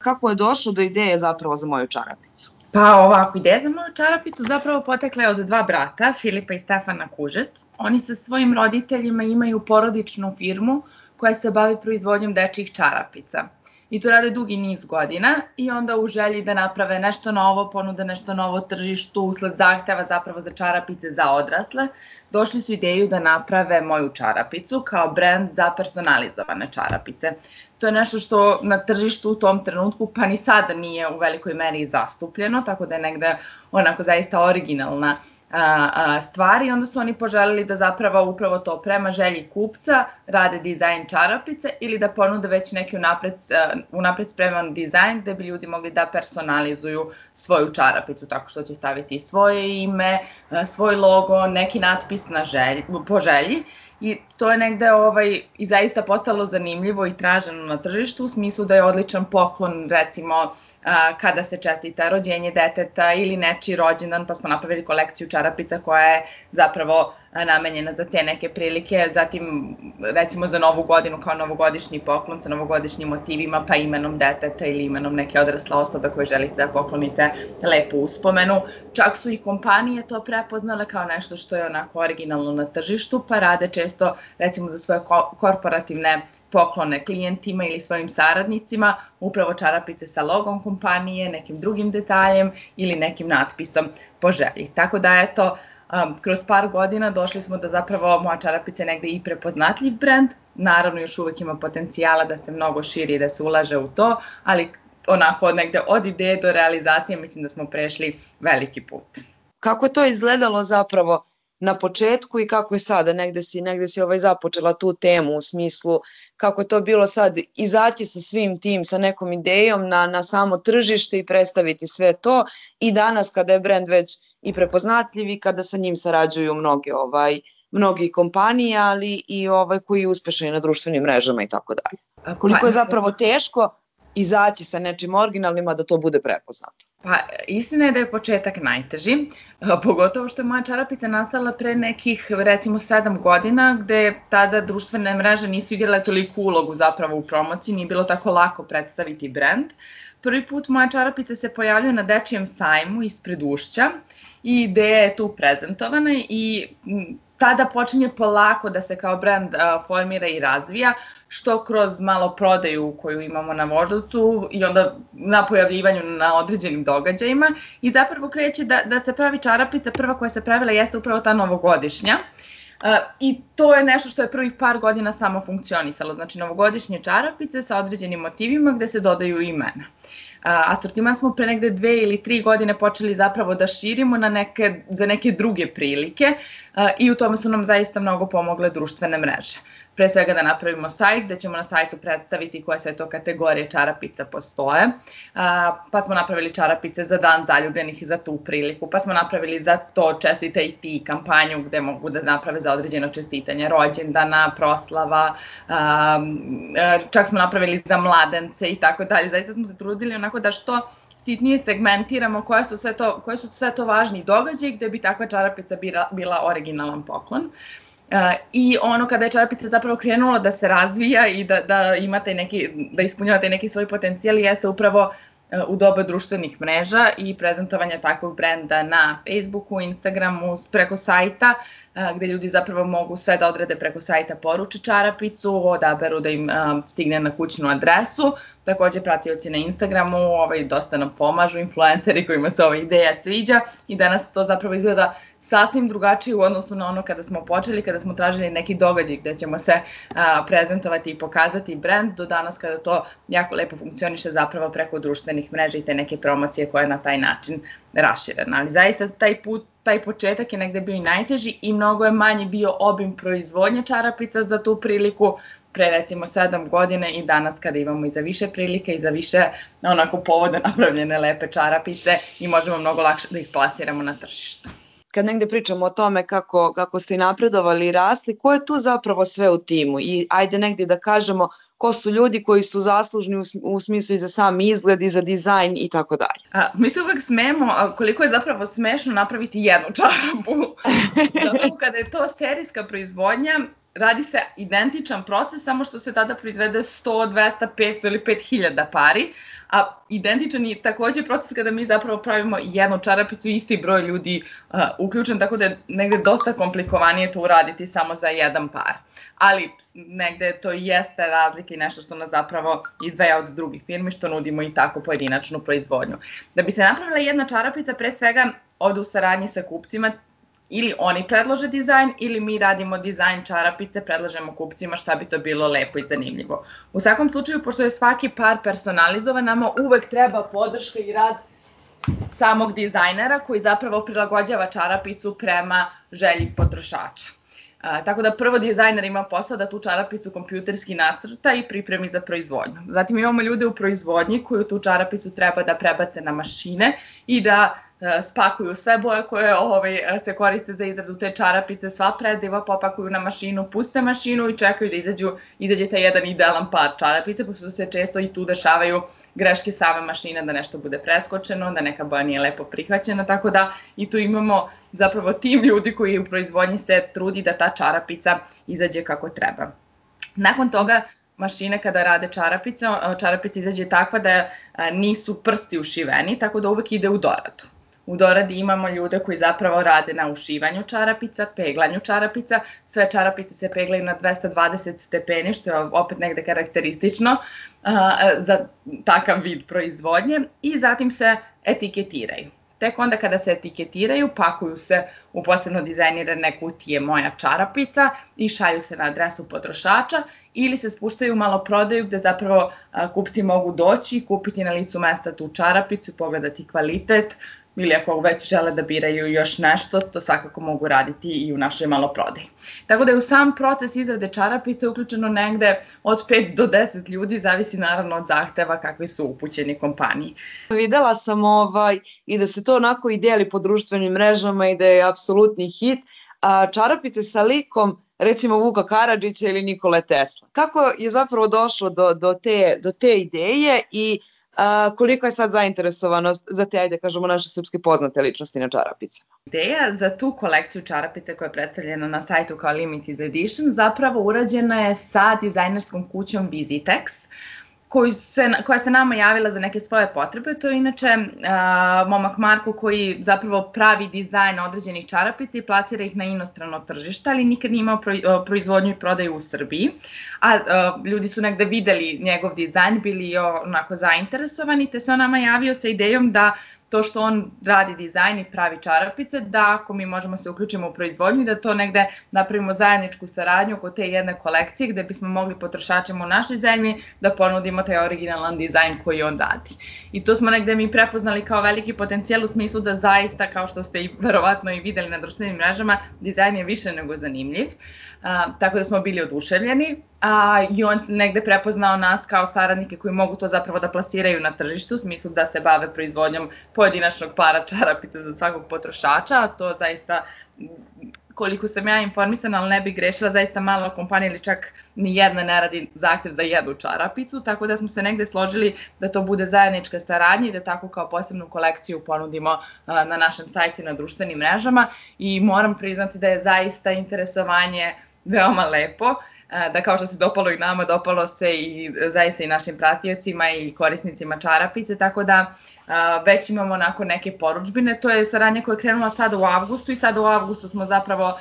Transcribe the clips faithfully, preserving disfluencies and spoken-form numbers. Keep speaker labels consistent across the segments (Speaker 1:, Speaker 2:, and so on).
Speaker 1: Kako je došlo do ideje zapravo za moju čarapicu?
Speaker 2: Pa ovako, ideja za moju čarapicu zapravo potekla je od dva brata, Filipa i Stefana Kužet. Oni sa svojim roditeljima imaju porodičnu firmu koja se bavi proizvodnjom dečjih čarapica. I to rade dugi niz godina i onda u želji da naprave nešto novo, ponude nešto novo tržištu usled zahteva zapravo za čarapice za odrasle, došli su ideju da naprave moju čarapicu kao brend za personalizovane čarapice. To je nešto što na tržištu u tom trenutku pa ni sada nije u velikoj meri zastupljeno, tako da je negde onako zaista originalna stvar i onda su oni poželili da zapravo upravo to prema želji kupca rade dizajn čarapice ili da ponude već neki unapred spreman dizajn gde bi ljudi mogli da personalizuju svoju čarapicu tako što će staviti svoje ime, svoj logo, neki natpis po želji. I to je negde ovaj, i zaista postalo zanimljivo i traženo na tržištu u smislu da je odličan poklon recimo kada se čestita rođenje deteta ili nečiji rođendan, pa smo napravili kolekciju čarapica koja je zapravo namenjena za te neke prilike, zatim recimo za novu godinu kao novogodišnji poklon sa novogodišnjim motivima, pa imenom deteta ili imenom neke odrasle osobe koje želite da poklonite lepu uspomenu. Čak su i kompanije to prepoznale kao nešto što je onako originalno na tržištu, pa rade često recimo za svoje korporativne poklone klijentima ili svojim saradnicima, upravo čarapice sa logom kompanije, nekim drugim detaljem ili nekim natpisom po želji. Tako da eto, kroz par godina došli smo da zapravo moja čarapica je negde i prepoznatljiv brend, naravno još uvek ima potencijala da se mnogo širi i da se ulaže u to, ali onako negde od ideje do realizacije mislim da smo prešli veliki put.
Speaker 1: Kako je to izgledalo zapravo na početku i kako je sada, negde si, negde si ovaj započela tu temu u smislu kako je to bilo sad izaći sa svim tim, sa nekom idejom na, na samo tržište i predstaviti sve to i danas kada je brend već i prepoznatljiv i kada sa njim sarađuju mnoge ovaj, mnogi kompanije, ali i ovaj koji je uspešan i na društvenim mrežama i tako dalje. Koliko je zapravo teško izaći sa nečim originalnima da to bude prepoznato?
Speaker 2: Pa istina je da je početak najteži, pogotovo što je moja čarapica nastala pre nekih recimo sedam godina gde tada društvene mreže nisu igrale toliku ulogu zapravo u promociji, nije bilo tako lako predstaviti brend. Prvi put moja čarapica se pojavljuje na dečijem sajmu ispred Ušća i ideja je tu prezentovana i tada počinje polako da se kao brend formira i razvija, što kroz malo prodaju koju imamo na Voždovcu i onda na pojavljivanju na određenim događajima i zapravo kreće da, da se pravi čarapica, prva koja se pravila jeste upravo ta novogodišnja. I to je nešto što je prvih par godina samo funkcionisalo, znači novogodišnje čarapice sa određenim motivima gde se dodaju imena. Asortiman smo pre negde dve ili tri godine počeli zapravo da širimo na neke, za neke druge prilike i u tome su nam zaista mnogo pomogle društvene mreže. Pre svega da napravimo sajt gde ćemo na sajtu predstaviti koje sve to kategorije čarapica postoje, pa smo napravili čarapice za dan zaljubljenih i za tu priliku, pa smo napravili za to čestitaj ti kampanju gde mogu da naprave za određeno čestitanje rođendana, proslava, čak smo napravili za mladence i tako dalje. Zaista smo se trudili onako da što sitnije segmentiramo koje su sve to, koje su sve to važni događaji gde bi takva čarapica bila originalan poklon. I ono kada je čarapica zapravo krenula da se razvija i da, da imate neki, da ispunjavate neki svoj potencijal jeste upravo u doba društvenih mreža i prezentovanja takvog brenda na Facebooku, Instagramu, preko sajta, gde ljudi zapravo mogu sve da odrede preko sajta, poruče čarapicu, odaberu da im stigne na kućnu adresu. Takođe pratioci na Instagramu ovaj, dosta nam pomažu, influenceri kojima se ova ideja sviđa i danas to zapravo izgleda sasvim drugačije u odnosu na ono kada smo počeli, kada smo tražili neki događaj gde ćemo se a, prezentovati i pokazati brend, do danas kada to jako lepo funkcioniše zapravo preko društvenih mreža i te neke promocije koje je na taj način raširena. Ali zaista taj put, taj početak je negde bio i najteži i mnogo je manji bio obim proizvodnje čarapica za tu priliku pre recimo sedam godina i danas kada imamo i za više prilike i za više onako povoda napravljene lepe čarapice i možemo mnogo lakše da ih plasiramo na tržištu.
Speaker 1: Kad negde pričamo o tome kako, kako ste napredovali i rasli, ko je tu zapravo sve u timu? I ajde negde da kažemo ko su ljudi koji su zaslužni u, u smislu i za sam izgled i za dizajn i tako dalje.
Speaker 2: A, mi se uvek smemo koliko je zapravo smešno napraviti jednu čarapu. Zapravo kada je to serijska proizvodnja, radi se identičan proces, samo što se tada proizvede sto, dvesta, petsto ili pet hiljada pari, a identičan je takođe proces kada mi zapravo pravimo jednu čarapicu i isti broj ljudi uh, uključen, tako da je negde dosta komplikovanije to uraditi samo za jedan par. Ali negde to jeste razlika i nešto što nas zapravo izdvaja od drugih firmi, što nudimo i tako pojedinačnu proizvodnju. Da bi se napravila jedna čarapica, pre svega ode u saradnji sa kupcima, ili oni predlože dizajn ili mi radimo dizajn čarapice, predlažemo kupcima šta bi to bilo lepo i zanimljivo. U svakom slučaju, pošto je svaki par personalizovan, nama uvek treba podrška i rad samog dizajnera koji zapravo prilagođava čarapicu prema želji potrošača. A, tako da prvo dizajner ima posao da tu čarapicu kompjuterski nacrta i pripremi za proizvodnju. Zatim imamo ljude u proizvodnji koji tu čarapicu treba da prebace na mašine i da spakuju sve boje koje ovaj, se koriste za izradu te čarapice, sva prediva popakuju na mašinu, puste mašinu i čekaju da izađu, izađe taj jedan idealan par čarapice, pošto se često i tu dešavaju greške same mašine, da nešto bude preskočeno, da neka boja nije lepo prihvaćena, tako da i tu imamo zapravo tim ljudi koji u proizvodnji se trudi da ta čarapica izađe kako treba. Nakon toga mašine kada rade čarapice, čarapica izađe takva da nisu prsti ušiveni, tako da uvek ide u doradu. U doradi imamo ljude koji zapravo rade na ušivanju čarapica, peglanju čarapica. Sve čarapice se peglaju na dvesta dvadeset stepeni, što je opet negde karakteristično za takav vid proizvodnje. I zatim se etiketiraju. Tek onda kada se etiketiraju, pakuju se u posebno dizajnirane kutije moja čarapica i šalju se na adresu potrošača ili se spuštaju u maloprodaju gde zapravo kupci mogu doći i kupiti na licu mesta tu čarapicu, pogledati kvalitet, ili ako već žele da biraju još nešto, to svakako mogu raditi i u našoj maloprodaji. Tako da je u sam proces izrade čarapice uključeno negde od pet do deset ljudi, zavisi naravno od zahteva kakvi su upućeni kompaniji.
Speaker 1: Videla sam ovaj, i da se to onako i deli po društvenim mrežama i da je apsolutni hit, a čarapice sa likom recimo Vuka Karadžića ili Nikole Tesla. Kako je zapravo došlo do, do, te, do te ideje i a, koliko je sad zainteresovanost za te, ajde kažemo, naše srpske poznate ličnosti na čarapicama?
Speaker 2: Ideja za tu kolekciju čarapice koja je predstavljena na sajtu kao limited edition zapravo urađena je sa dizajnerskom kućom Visitex, Se, koja se nama javila za neke svoje potrebe. To je inače a, momak Marko koji zapravo pravi dizajn određenih čarapica i plasira ih na inostrano tržište, ali nikad nije imao pro, proizvodnju i prodaju u Srbiji. A, a ljudi su negde videli njegov dizajn, bili onako zainteresovani, te se on nama javio sa idejom da to što on radi dizajn i pravi čarapice, da ako mi možemo se uključimo u proizvodnju i da to negde napravimo zajedničku saradnju oko te jedne kolekcije gde bismo mogli potrošačima u našoj zemlji da ponudimo taj originalan dizajn koji on radi. I to smo negde mi prepoznali kao veliki potencijal u smislu da zaista, kao što ste i verovatno i videli na društvenim mrežama, dizajn je više nego zanimljiv. A, tako da smo bili oduševljeni. A, i on negde prepoznao nas kao saradnike koji mogu to zapravo da plasiraju na tržištu, u smislu da se bave proizvodnjom pojedinačnog para čarapica za svakog potrošača, a to zaista, koliko sam ja informisana, ali ne bih grešila, zaista mala kompanija ili čak ni jedna ne radi zahtev za jednu čarapicu, tako da smo se negde složili da to bude zajednička saradnja i da tako kao posebnu kolekciju ponudimo na našem sajtu i na društvenim mrežama i moram priznati da je zaista interesovanje veoma lepo, da kao što se dopalo i nama, dopalo se i zaista i našim pratiocima i korisnicima čarapice, tako da već imamo onako neke poručbine. To je saradnja koja je krenula sada u avgustu i sada u avgustu smo zapravo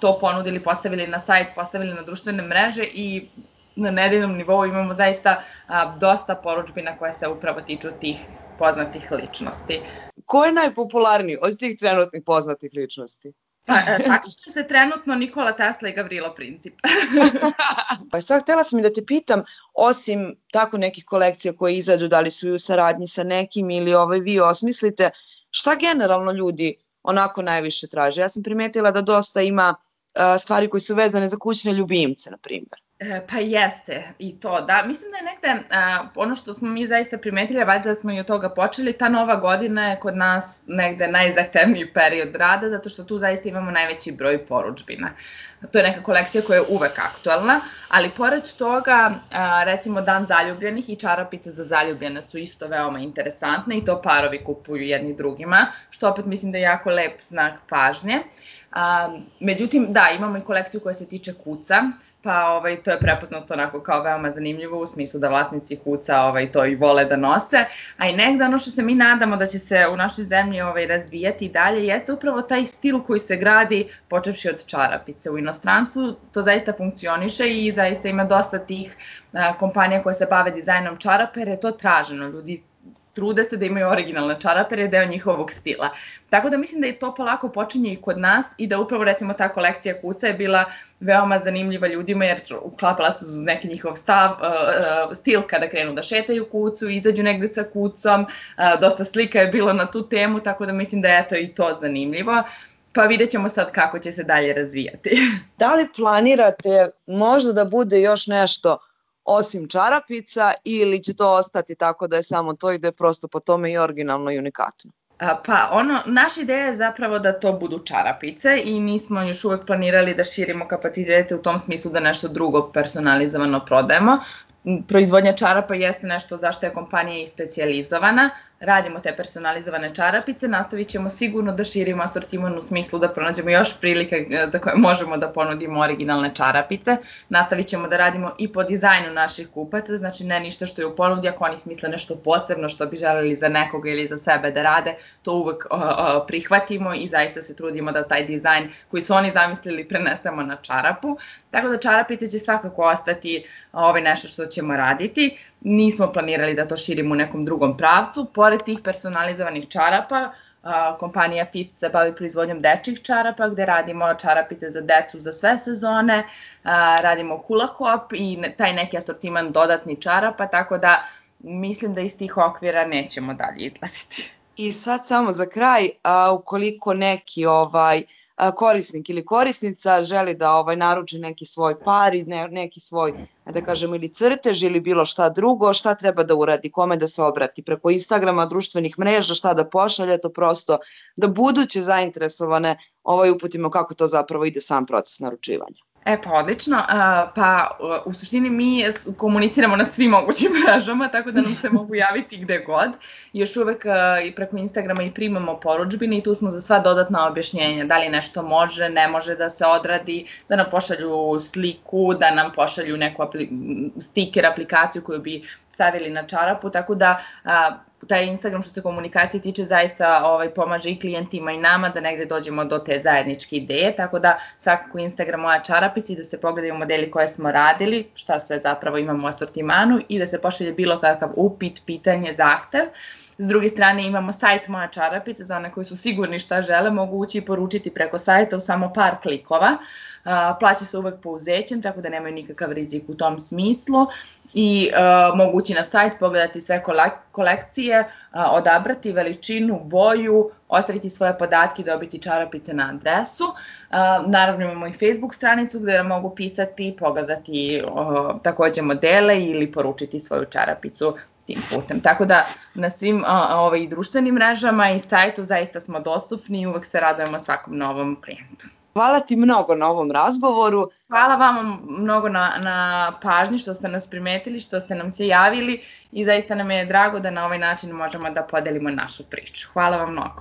Speaker 2: to ponudili, postavili na sajt, postavili na društvene mreže i na nedeljnom nivou imamo zaista dosta poručbina koje se upravo tiču tih poznatih ličnosti.
Speaker 1: Ko je najpopularniji od tih trenutnih poznatih ličnosti?
Speaker 2: Pa, takmiče se trenutno Nikola Tesla i Gavrilo Princip.
Speaker 1: Pa sad htjela sam i da te pitam, osim tako nekih kolekcija koje izađu, da li su i u saradnji sa nekim ili ovaj, vi osmislite, šta generalno ljudi onako najviše traže? Ja sam primetila da dosta ima a, stvari koje su vezane za kućne ljubimce, na primjer.
Speaker 2: E, pa jeste i to, da. Mislim da je negde, a, ono što smo mi zaista primetili, valjda da smo i od toga počeli, ta nova godina je kod nas negde najzahtevniji period rada, zato što tu zaista imamo najveći broj poručbina. To je neka kolekcija koja je uvek aktualna, ali pored toga, a, recimo Dan zaljubljenih i čarapice za zaljubljene su isto veoma interesantne i to parovi kupuju jedni drugima, što opet mislim da je jako lep znak pažnje. Međutim, da, imamo i kolekciju koja se tiče kuca, pa ovaj, to je prepoznato onako kao veoma zanimljivo u smislu da vlasnici kuca ovaj, to i vole da nose, a i negde ono što se mi nadamo da će se u našoj zemlji ovaj, razvijati i dalje jeste upravo taj stil koji se gradi počevši od čarapice. U inostranstvu to zaista funkcioniše i zaista ima dosta tih a, kompanija koje se bave dizajnom čarapa jer je to traženo. Ljudi trude se da imaju originalne čarape jer je deo njihovog stila. Tako da mislim da i to polako počinje i kod nas i da upravo recimo ta kolekcija kuca je bila veoma zanimljiva ljudima jer uklapala se uz neki njihov stav, uh, stil kada krenu da šetaju kucu, izađu negde sa kucom, uh, dosta slika je bilo na tu temu, tako da mislim da je eto i to zanimljivo. Pa vidjet ćemo sad kako će se dalje razvijati.
Speaker 1: Da li planirate možda da bude još nešto osim čarapica ili će to ostati tako da je samo to i da je prosto po tome i originalno i unikatno?
Speaker 2: Pa ono, naša ideja je zapravo da to budu čarapice i nismo još uvek planirali da širimo kapacitete u tom smislu da nešto drugo personalizovano prodajemo. Proizvodnja čarapa jeste nešto zašto je kompanija i specijalizovana, radimo te personalizovane čarapice, nastavit ćemo sigurno da širimo asortiman u smislu da pronađemo još prilike za koje možemo da ponudimo originalne čarapice, nastavit ćemo da radimo i po dizajnu naših kupaca, znači ne ništa što je u ponudi, ako oni smisle nešto posebno što bi želeli za nekoga ili za sebe da rade, to uvek o, o, prihvatimo i zaista se trudimo da taj dizajn koji su oni zamislili prenesemo na čarapu, tako da čarapice će svakako ostati ovaj, nešto što ćemo raditi. Nismo planirali da to širimo u nekom drugom pravcu. Pored tih personalizovanih čarapa, kompanija Fist se bavi proizvodnjom dečjih čarapa, gde radimo čarapice za decu za sve sezone, radimo hula hop i taj neki asortiman dodatni čarapa, tako da mislim da iz tih okvira nećemo dalje izlaziti.
Speaker 1: I sad samo za kraj, a, ukoliko neki ovaj korisnik ili korisnica želi da ovaj naruči neki svoj par i ne, neki svoj, da kažem, ili crtež ili bilo šta drugo, šta treba da uradi, kome da se obrati, preko Instagrama, društvenih mreža, šta da pošalje, to prosto da buduće zainteresovane ovaj uputimo kako to zapravo ide sam proces naručivanja.
Speaker 2: E pa odlično, pa u suštini mi komuniciramo na svim mogućim mrežama, tako da nam se mogu javiti gde god. Još uvek i preko Instagrama i primamo poručbine i tu smo za sva dodatna objašnjenja, da li nešto može, ne može da se odradi, da nam pošalju sliku, da nam pošalju neku apli stiker, aplikaciju koju bi stavili na čarapu, tako da taj Instagram što se komunikacije tiče zaista ovaj, pomaže i klijentima i nama da negde dođemo do te zajedničke ideje, tako da svakako Instagram moja čarapica i da se pogledaju modeli koje smo radili, šta sve zapravo imamo u asortimanu i da se pošalje bilo kakav upit, pitanje, zahtev. S druge strane imamo sajt Moja čarapica, za one koji su sigurni šta žele, mogu ući i poručiti preko sajta u samo par klikova. Plaća se uvek pouzećem, tako da nemaju nikakav rizik u tom smislu i uh, mogu ući na sajt, pogledati sve kolekcije, uh, odabrati veličinu, boju, ostaviti svoje podatke i dobiti čarapice na adresu. Uh, naravno imamo i Facebook stranicu gde mogu pisati, pogledati uh, takođe modele ili poručiti svoju čarapicu tim putem. Tako da na svim uh, ovaj, društvenim mrežama i sajtu zaista smo dostupni i uvek se radujemo svakom novom klijentu.
Speaker 1: Hvala ti mnogo na ovom razgovoru.
Speaker 2: Hvala vama mnogo na, na pažnji što ste nas primetili, što ste nam se javili i zaista nam je drago da na ovaj način možemo da podelimo našu priču. Hvala vam mnogo.